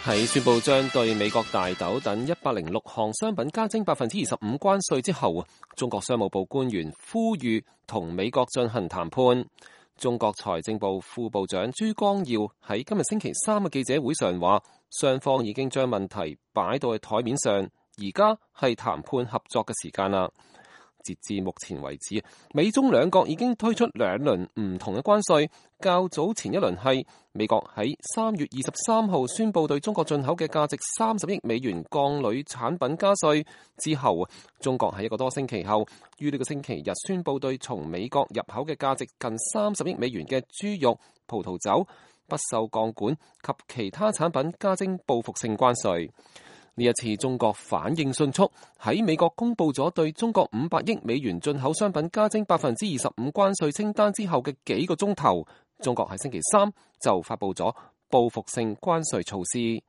喺宣布將對美國大豆等106項商品加徵25%關稅之後，中國商務部官員呼籲同美國進行談判。中國財政部副部長朱光耀喺今日星期三嘅記者會上話，雙方已經將問題擺到去台面上，而家係談判合作嘅時間啦。截至目前為止，美中兩國已經推出兩輪唔同嘅關稅。較早前一輪係美國喺3月23號宣布對中國進口嘅價值30億美元鋼鋁產品加稅之後，中國喺一個多星期後，於呢個星期日宣布對從美國入口嘅價值近30億美元嘅豬肉、葡萄酒、不鏽鋼管及其他產品加徵報復性關稅。呢一次中國反應迅速，喺美國公布咗對中國500億美元進口商品加徵25%關稅清單之後嘅幾個鐘頭，中國喺星期三就發布咗報復性關稅措施。